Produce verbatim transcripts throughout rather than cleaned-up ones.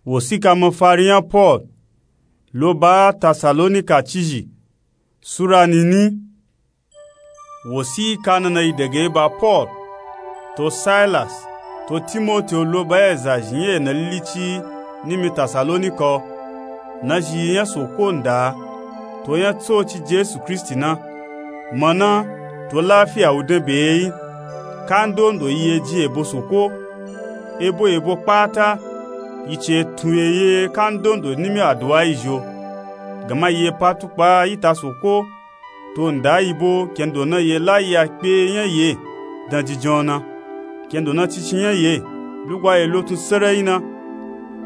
Wosika mafari nya Pol lo ba Tasalonika cizhi. Sura nini. Wosika nana yi dege ba Pol, to Silas, to Timoti lo ba ezazhi nya ena lilici nimi Tasalonika, na zhi yi nya Soko nda, to nya Tsoci Jesu Kristi na. Mana, to lafiya wu dan be yi. Kandondo yi ye jin ebo Soko. Ebo ebo kpata, yi ci tun ye ye kandondo nimi aduwa yi zho. Gama yi ye pa tukpa yi ta Soko, to nda yi bo kendo na ye la yi akpe nya ye dan jinjan na, kendo na cici nya ye lugwa ye lotun sereyi na,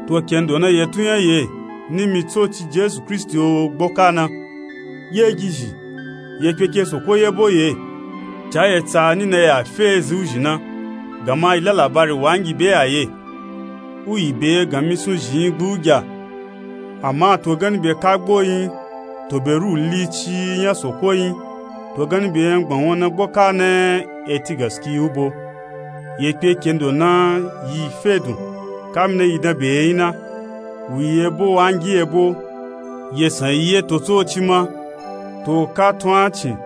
to kendo na ye tun nya ye nimi Tsoci Jesu Kristi o gboka na. Ye gizhi, ye kpeke Soko ye bo ye, ca ye tsa ni na ye a fe ezi wuzhi na, gama yi la labari wangi be a ye. Wu yi be ganmi sun zhin gbu gya. Ama to ganni be kagbo yin, to be ru lici nya Soko yin, to ganni be yan gban won na gboka na eti gaskiya wu bo. Ye kpe kendo na yi fe dun, kamina yi dan be yin na, wu yi ebo wangi ebo, ye san yi ye to Tsoci ma, to ka tun a cin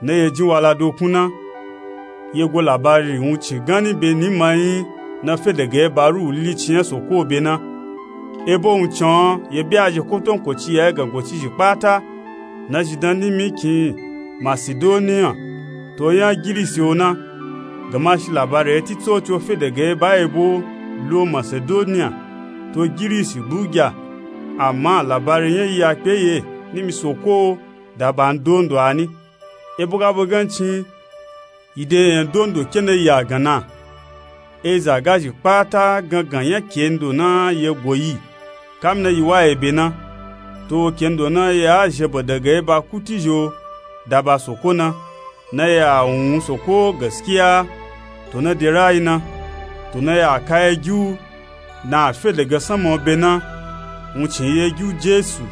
na ye jin wala dokun na. Ye go labari wuncin ganni be ni ma yin na fe dege ba ru lici nya Soko be na. Ebo wuncin a ye be a zhi kotonkoci ya ye gango cizhi kpata, na zhi dan nimi kin Masidoniya, to nya Girisi o na. Gama shi labari eti Tsoci o fe dege ba ebo lo Masidoniya, to Girisi gbu gya. Ama labari nya yi akpe ye nimi Soko o da ba ndondo a ni. Ebo ga bo gancin, yi de yan dondo ke na yi a gan na. Eza gazhi kpata gangan nya kendo na ye go yi, kamina yi wa ye be na. To kendo na ye a zhebe dege ba kuti zho da ba Soko na, na ye a wun Soko gaskiya, to na de rayi na, to na ye a ka ye gi wu na a fe dege sanma o be na, wuncin ye gi wu Jesu,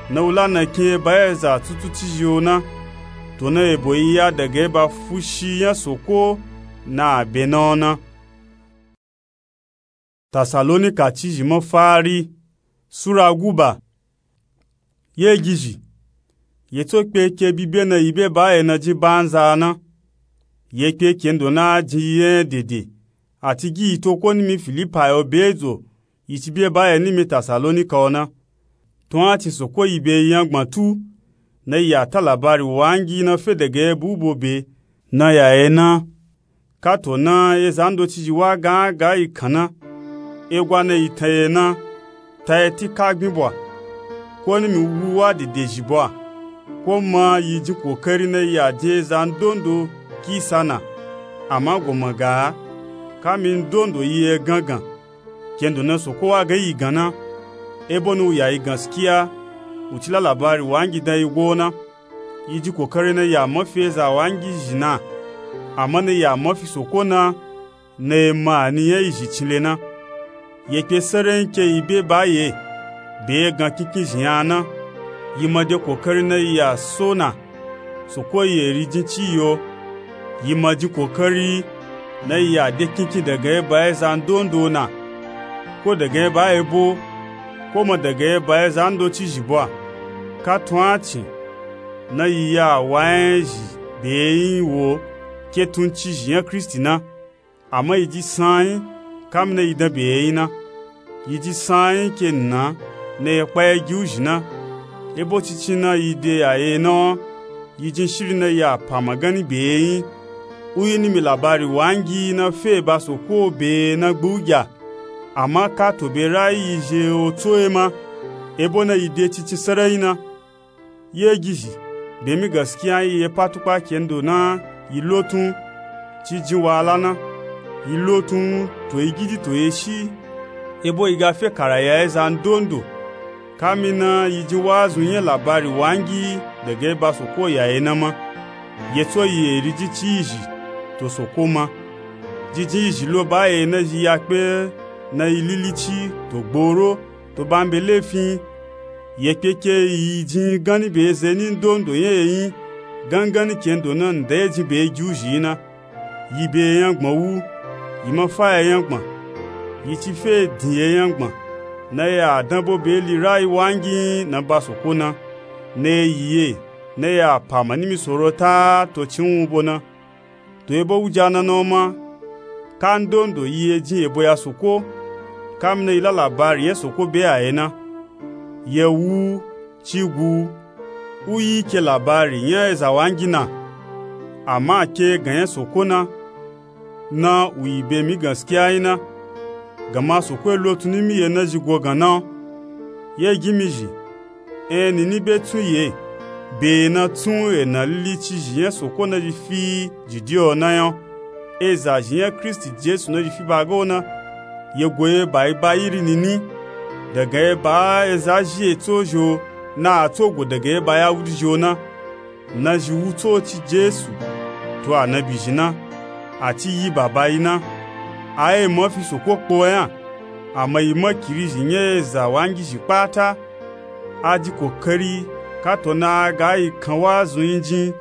na wu la na kin ye ba ye za tutu cizhi o na, to na ye bo yi ya dege ba fushi nya Soko na a be na o na. Tasalonika cizhi mafari. Sura guba. Ye gizhi, ye tso kpe ke bi be na yi be ba ye na jin banza na. Ye kpe kendo na jin yi ye dede, ati gi yi to ko nimi Filipai o be dzo, yi ci be ba ye nimi Tasalonika o na. Tun a cin Soko yi be yi yan gban tu, na yi a ta labari wangi na fe dege bu bo be na ya ye na. Kato na ye zando cizhi wa gan a ga yi kan na, egwa na yi tan ye na, ta ye ti kagbin bwa, ko nimi wu wa dede zhi bwa, ko ma yi jin kokari na yi a de zan dondo kisa na, ama go ma ga a, kami ndondo yi ye gangan, kendo na Soko wa ga yi gan na. Ebo na wu ya yi gaskiya, wu ci la labari wangi dan yi go na. Yi jin kokari na yi a mafi eza wangi zhi na, ama na yi a mafi Soko na, na ye ma a ni nya yi zhi cinle na. Ye kpe sereyi ke yi be ba ye, be ye gan kinkizhi yan na. Yi ma de kokari na yi a so na, Soko yi eri jin ci yi o. Yi ma jin kokari na yi a de kinkin dege ba ye zan dondo na, ko dege ba ye bo, ko ma dege ba ye zando cizhi bwa. Ka tun a cin na yi ya wa nya zhi be yin wo ke tun cizhi nya Kristi na. Ama yi ji san yin, kamina yi dan be yin na. Yi ji san yin ke na, na ye kpa ye gi wuzhi na. Ebo cincin na yi de ya ye na o, yi jin shiri na yi a pa magani be yin. Wu yi nimi labari wangi na fe ba Soko be na gbu gya. Ama kato be rayi yi zhe o tso ye ma, ebo na yi de cincin sereyi na. Ye gizhi, be mi gaskiya yi ye pa tukpa kendo na yi lotun, ci jin wala na, yi lotun to yi gidi to ye shi, ebo yi ga fe kara ya ye zan dondo, kamina yi jin wazun nya labari wangi dege ba Soko ya ye na ma. Ye tso yi eri jin ci yi zhi to Soko ma. Jinjin yi zhi lo ba ye na zhi ya kpe na yi lilici to gboro to ba mbe lefin. Ye kpe ke yi jin ganni be eze ni ndondo nya ye yin, ganganni kendo na nda ye jin be gi wuzhi yi na. Yi be ye nya gban wu, yi ma fa ye nya gban, yi ci fe din ye nya gban, na ya danbo beli rayi wangi na ba soko na, na yi ye na ya pa ma nimi sorota to cinwu bo na. To ebo wuja na na oma kandondo yi ye jin yebo ya soko, kamina yi la labari nya soko be a ye na. Ye wu, cigu, uyi ke labari nya eza wangi na, ama ke gan nya soko na, na wu yi be mi ganskiya nyi na. Gama soko e lotun nimi ye na zhi gogan na. Ye gin mi zhi, en nini be tun ye, be na tun ena lili cizhi nya soko na zhi fi jidi o na nya. Eza zhi nya kristi jesu na zhi fi ba ga o na. Ye go ye ba yi ba yiri nini, daga ye ba eza zhi ye tso zhi o, na a tso go daga ye ba ya wudi zhi o na. Na zhi wu tsoci jesu, to anabi zhi na, a ci yi baba yi na. A ye ma fi soko kpo nya, ama yi makiri zhi nya eza wangi zhi kpata. A ji kokari kato na a ga yi kan wa zun yi jin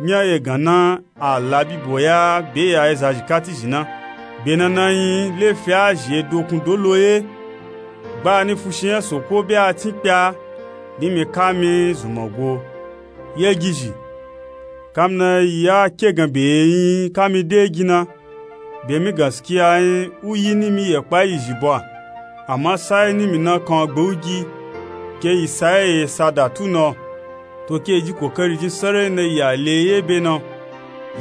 nya ye gan na, a la bibo ya be ya eza zhi kati zhi na. Be na na nyi lefi a zhi ye dokun dolo ye. Gbani fushi nya soko be a tin kpe a, nimi kami zunma go. Ye gizhi, kamina yi a ke gan be ye nyi kami de gi na. Be mi ganskiya nyi uyi nimi ye kpa yi zhi bo a, ama sayi nimi na kan gbe u gi, ke yi sayi ye sa da tu na. To ke yi ji kokari jin sarai na yi a le ye be na,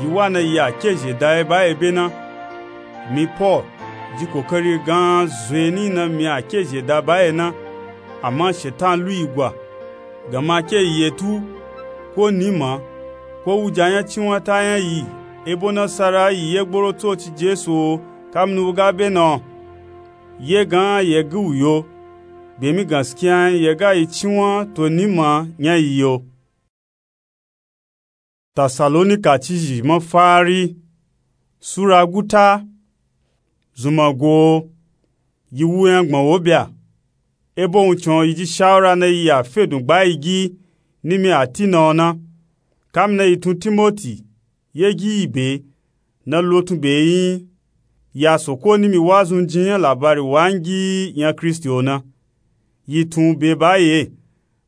yi wa na yi a ke zhe da ye ba ye be na. Mi paul ji kokari gan zun ye ni na mi a ke zhe da ba ye na. Ama shetan lu yi gwa. Gama ke yi ye tu, ko nima, ko wuja nya cinwata nya yi, ebo nasara yi ye gboro tsoci jesu o, kamini u ga be na. Ye gan ye gi u yo, be mi ganskiya nyi ye ga yi cinwa to nima nya yi yo. Tasalonika cizhi mafari sura guta. Zunma go, yi wu nya gbọn wo bya. Ebo wuncin o yi ji shawura na yi a fedun gba yi gi nimi a ti na o na. Kamina yi tun timoti ye gi yi be, na lotun be yi nyi, ya soko nimi wa zun jin nya labari wangi nya kristi o na. Yi tun be ba ye,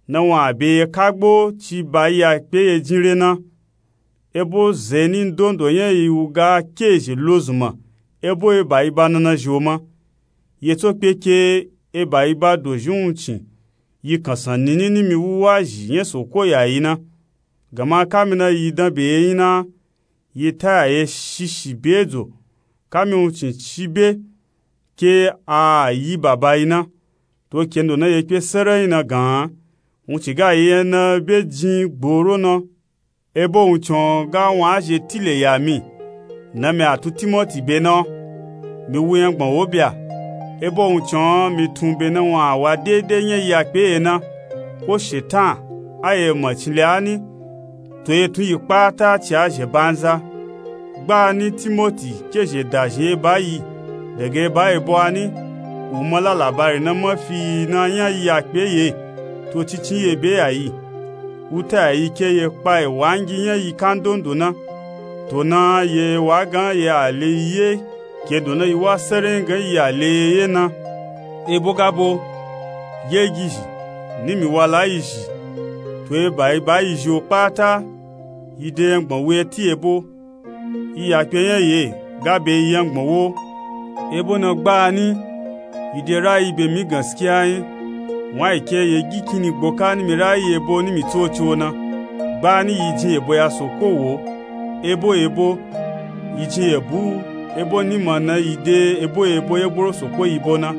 na wan a be ye kagbo ci ba yi a kpe ye jin re na. Ebo zeni ndondo nya yi wu ga ke zhe lo zunma, ebo eba yi ba nana zhi o ma. Ye tso kpe ke eba yi ba dozhi wuncin yi kansan nini nimi wuwa zhi nya soko ya yi na. Gama kamina yi dan be ye nyi na, yi ta ya ye shishi be dzo, kami wuncin ci be ke a yi baba yi na. To kendo na ye kpe sarai na gan, wuncin ga yi nya na be jin gboro na. Ebo wuncin o ga wan a zhe tile ya mi, na mi a tun timoti be na. Mi wu nya gbọn wo bya. Ebo wuncin o mi tun be na wan a wa dede nya yi a kpe ye na. Ko shetan a ye ma cinle a ni, to ye tun yi kpata ci a zhe banza. Gbani timoti ke zhe da zhin ye ba yi, daga ye ba ye bo a ni, u ma la labari na ma fi yi na nya yi a kpe ye, to cincin ye be ya yi. Wuta ya yi ke ye kpa ye wangi nya yi kandondo na. To na ye wa gan ye a le yi ye, kendo na yi wa sarai gan yi a le ye ye na. Ebo ga bo, ye gizhi, nimi wa la yi zhi, to eba yi ba yi zhi o kpata, yi de nya gbọn wo ye ti ye bo. Yi ya kpe nya ye ga be yi nya gbọn wo. Ebo na gbani, yi de rayi be mi ganskiya nyi, wan yi ke ye gi kini gboka nimi rayi ebo nimi tsoci o na. Gbani yi jin ebo ya soko wo, ebo ebo, yi jin ebo ebo nima na yi de ebo ebo ye gboro soko yi bo na.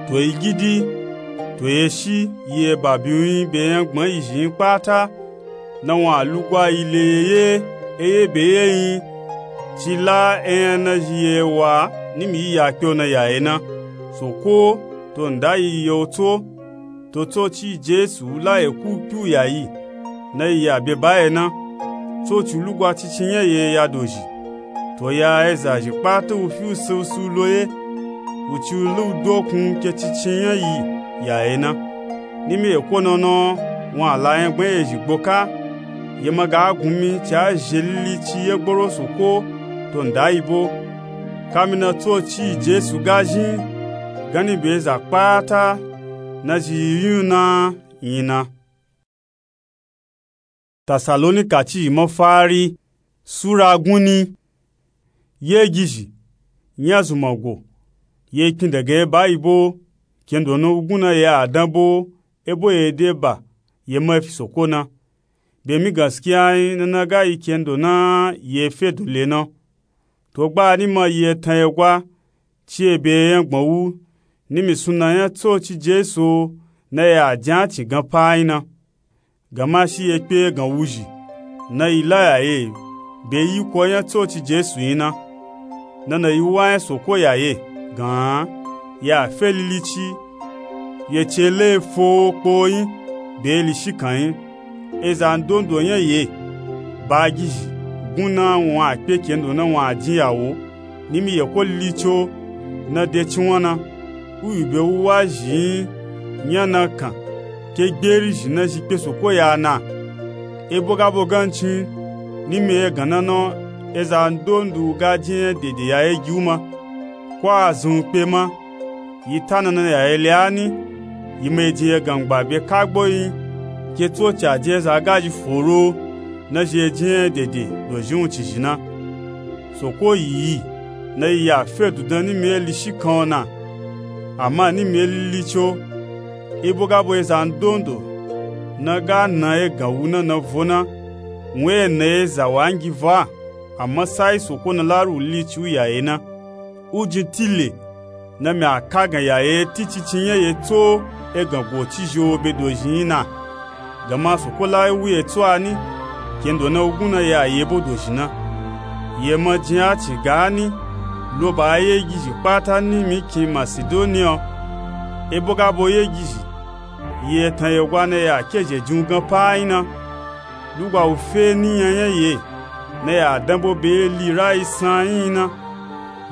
To yi gidi, to ye shi yi eba biwun nyi be nya gbọn yi zhi nyi kpata, na wan a lugwa yi le ye ye, eye be ye nyi, ci la enya na zhi ye wa nimi yi ya kpe o na ya ye na. Soko to nda yi ye o tso, to tsoci jesu la ye ku kpe u ya yi, na yi ya be ba ye na. Tsoci lugwa cincin nya ye ya dozhi, to ya eza zhi kpata u fi u se u si u lo ye, u ci u la u dokun ke cincin nya yi ya ye na. Nimi eko na na wan a la nya gbọn ye zhi gboka, ye ma ga gun mi ci a zhe lili ci ye gboro soko to nda yi bo. Kamina tsoci jesu ga zhin ganni be za kpata na zhi yi nyun na nyi na. Tasalonika cizhi mafari, sura gunni. Yegizhi, nya zunmango, ye kpin daga eba yi bo, kendo na wugun na ye a dan bo, ebo ye de ba, ye ma fi soko na. Be mi gaskiya nyi na na ga yi kendo na ye fe dole na. To gba ni ma ye tan ye gwa, ci ye be ye nyangban wu, ni mi sunna nya tsoci Jesu na ye a jin a cin gan pa nyi na. Gama shi ye kpe gan wuzhi, na yi la yaye, be yi ko nya tsoci Jesu nyi na. Na na yi wa nya soko yaye, gan, ye a fe lilici, ye ce le fo kpo nyi, be li shikan nyi. Eza ndondo nya ye, bagizhi, gun na wun a kpe kendo na wun a jin yawo, ni mi ye ko lilici o, na de cinwan na. Uyu be wu wa zhi nyi, nya na kan, ke gberi zhi na zhi kpe soko ya na. Ebo ga bo gancin, ni mi ye gan na na, eza ndondo ga jin nya dede yaye gi wu ma, ko a zun kpe ma, yi ta na na yaye le a ni, yi ma yi jin ye gangba be kagbo nyi, ke tsoci a jin eza gazhi foro, na zhi ye jin nya dede dozhi wun ci zhi na. Soko yi yi, na yi ya fe dudan ni mi ye li shikan o na. Ama ni mi ye lilici o, ebo ga bo eza ndondo, na ga na ye gan wu na na vo na, wun ye na ye za wa ngi vo a, ama sai soko na la ru lilici wu yaye na. U jin tile, na mi a ka gan yaye ti cici nya ye tso e gan go cizhi o be dozhi nyi na. Gama soko la wu ye tso a ni, kendo na wugun na ye a ye bo dozhi na. Ye ma jin a cin ga ni, lo ba yegizhi kpata ni mi kin Masidoniya o. Ebo ga bo yegizhi, ye tan ye gwa na ye a ke zhe jin wu gan pa nyi na. Lugba wu fe ni nya nya ye, na ye a dan bo be li rayi san nyi na.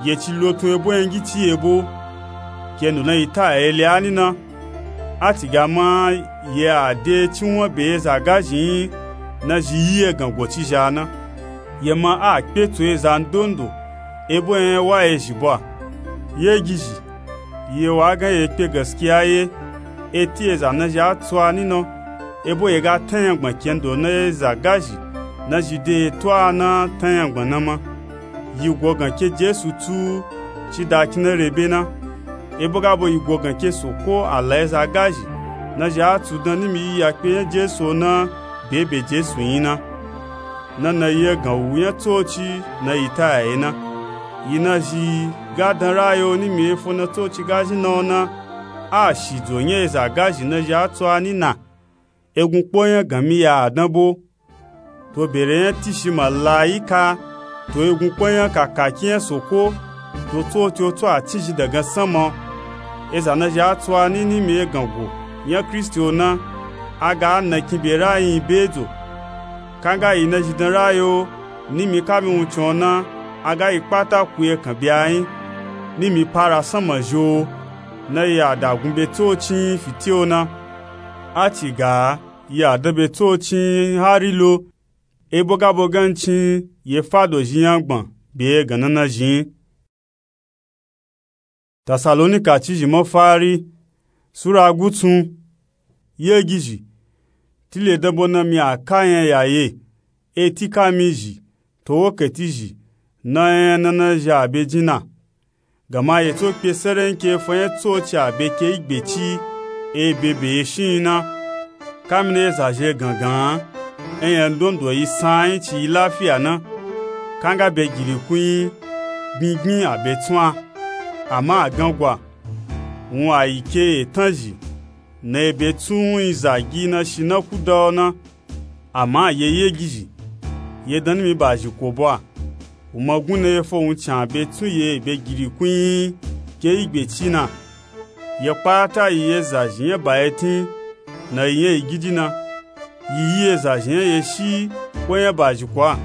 Ye ci lo tun ebo nya ngi ci ye bo, kendo na yi ta yaye le a ni na. A ci ga ma ye a de cinwan be eza gazhi nyi, na zhi yi ye gan go cizhi a na. Ye ma a kpe tso eza ndondo, ebo nya wa ye zhi bo a. Yegizhi, ye wa gan ye kpe gaskiya ye, e ti eza na zhi a tso a ni na, ebo ye ga tan nyangban kendo na eza gazhi na zhi de ye to a na tan nyangban na ma. Yi go gan ke Jesu tsu ci da kin na re be na. Ebo ga bo yi go gan ke soko a la eza gazhi na zhi a tsu dan ni mi yi ya kpe nya Jesu o na, be be Jesu nyi na. Na na yi ye gan wu nya tsoci na yi ta yaye na. Yi na zhi ga dan rayi o ni mi ye fo na tsoci ga zhi na o na, a shidzo nya eza gazhi na zhi a tso a ni na. Egun kpo nya gan mi ya a dan bo. To bere nya tishi malayika, to egun kpo nya kakaki nya soko, to tsoci o tso a cizhi dagan sanma. Eza na zhi a tso a ni ni mi ye gan go nya Kristi o na, a ga a na kin be rayi nyi be dzo. Kanga yi na zhi dan rayi o, ni mi ka mi wuncin o na, a ga yi kpata ku ye kan be a nyi, ni mi para sanma zhi o, na yi a dagun be tsoci nyi fiti o na. A ci ga yi a dan be tsoci nyi hari lo, ebo ga bo gancin ye fa dozhi nyangban be ye gan na na zhi nyi. Tasalonika cizhi mafari, sura gutsun. Yegizhi, tile dan bo na mi a ka nya yaye, e ti ka mi zhi, to wokati zhi, na nya na na zhi a be jin na. Gama ye tso kpe serenki e fo nya tsoci a be ke igbe ci, e be be ye shin nyi na. Ka mi na ye za zhi e gangan, e nya ndondo yi san nyi ci yi lafiya na. Kanga be girikun nyi, gbingbin a be tsun a, ama a gangwa, wun a yi ke etan zhi, na e be tsun nyi zagi na shi na kuda o na. Ama ye yegizhi, ye dan ni mi ba zhi ko bo a, u ma gun na ye fo wuncin a be tsun ye be girikun nyi ke igbe ci na. Ye kpata yi ye za zhi nya ba ye tin, na yi nya yi gidi na, yi yi ye za zhi nya ye shi ko nya ba zhi ko a.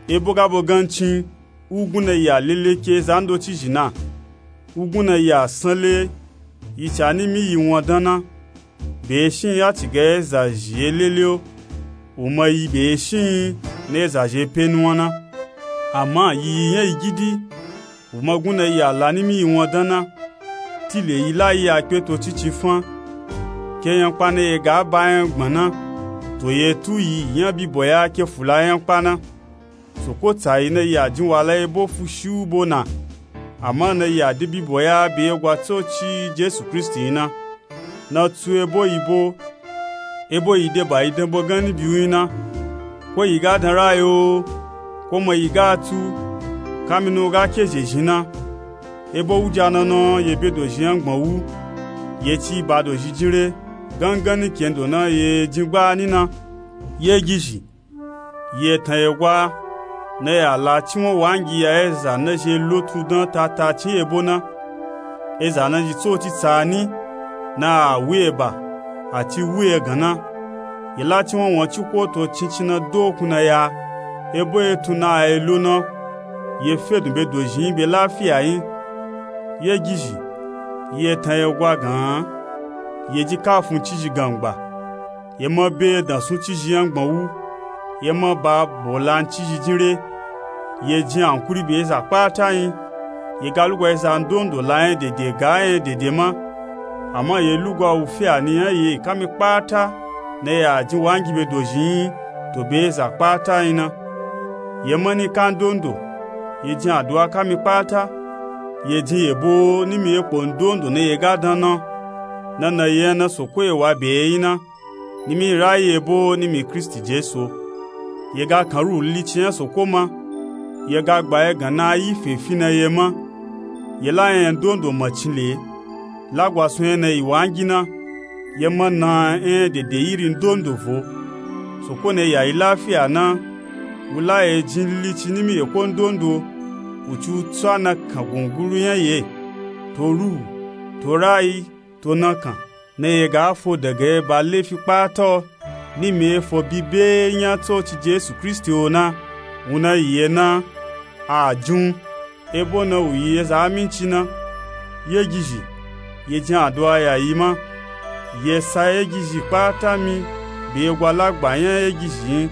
Ebo ga bo gancin, u gun na yi a lele ke za ndoci zhi na, u gun na yi a sanle, yi ca ni mi yi won dan na. Be ye shin nyi a ci ga ye za zhi ye lele o, u ma yi be ye shin nyi na ye za zhi ye pe nuwan na. Ama yi yi nya yi gidi, u ma gun na yi a la ni mi yi won dan na. Tile yi la yi a kpe to cici fan, ke nyakpa na ye ga ba nya gbon na, to ye tu yi nya bibo ya ke fula nyakpa na. Soko tsayi na yi a jin wala ebo fushi u bo na, ama na yi a de bibo ya be ye gwa tsoci jesu kristi yin na. Na tsu ebo yi bo, ebo yi de ba yi dan bo ganni bi u yin na. Ko yi ga dan ra yo, ko ma yi ga tsu, kamina u ga ke zhezhi na. Ebo wuja na na ye be dozhi nya gbon wu, ye ci ba dozhi jin re, ganganni kendo na ye jin gba ni na. Ye gizhi, ye tan ye gwa, na ya la cinwan wangi ya eza na zhe lotu dan tata cin ebo na. Eza na zhi tsoci tsani, na a wu ye ba, a ci wu ye gan na. Ye la cinwan wan ci ko to cincin na dokun na ya, ebo ye tun na a ye lo na. Ye fedun be dozhi yin be lafiya yin. Ye gizhi, ye tan ye gwa gan, ye ji kafun cizhi gangba, ye ma be dansun cizhi nya gbon wu, ye ma ba bolan cizhi jin re. Ye jin ankuri be eza kpata yin. Ye ga lugwa eza ndondo la nya dede ga nya dede ma, ama ye lugwa wu fiya ni nya ye kamina kpata na ya jin wangi be dozhi yin, to be eza kpata yin na. Ye ma ni ka ndondo, ye jin aduwa kamina kpata, ye jin yebo nimi ye kpo ndondo na ye ga dan na. Na na ye nya na soko ye wa be ye yin na, nimi ra ye bo nimi kristi jesu. Ye ga kan ruhu lilici nya soko ma, ye ga gba ye gan na yi fen fi na ye ma. Ye la nya ndondo macin le, lagwasun nya na yi wangi na. Ye ma na nya dede iri ndondo vo. Soko na ya yi lafiya na, wu la ye jin lilici nimi ye ko ndondo, wu ci u tsa na kan gunguru nya ye, to ruhu, to rayi, to na kan, na ye ga fo daga ye ba lefi kpata o, nimi ye fo bi be nya tsoci jesu kristi o na. Wu na yi ye na, a jin u, ebo na wu yi ye za aminci na. Ye gizhi, ye jin aduwa ya yi ma. Ye sa ye gizhi kpata mi be ye gwa lagba nya ye gizhi yin.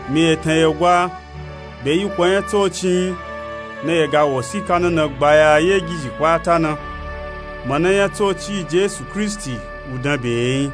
Mi ye tan ye gwa, be yi kpo nya tsoci yin, na ye ga wosika na na gba ya ye gizhi kpata na. Mana nya tsoci jesu kristi, wu dan be ye yin.